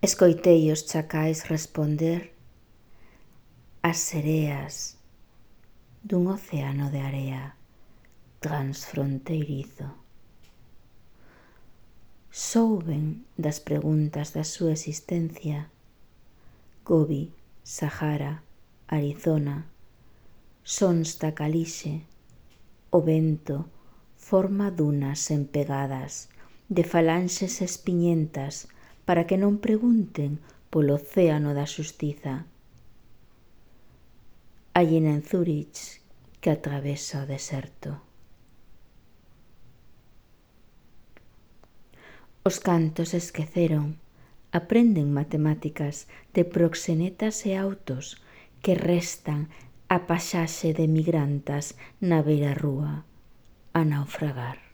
Escoitei os chacais responder as sereas dun océano de area transfronteirizo. Souben das preguntas da súa existencia. Gobi, Sahara, Arizona, sons da calixe, o vento forma dunas empegadas de falanxes espiñentas para que non pregunten polo océano da xustiza. Allena en Zúrich que atravesa o deserto. Os cantos esqueceron, aprenden matemáticas de proxenetas e autos que restan a paxaxe de migrantas na beira rúa a naufragar.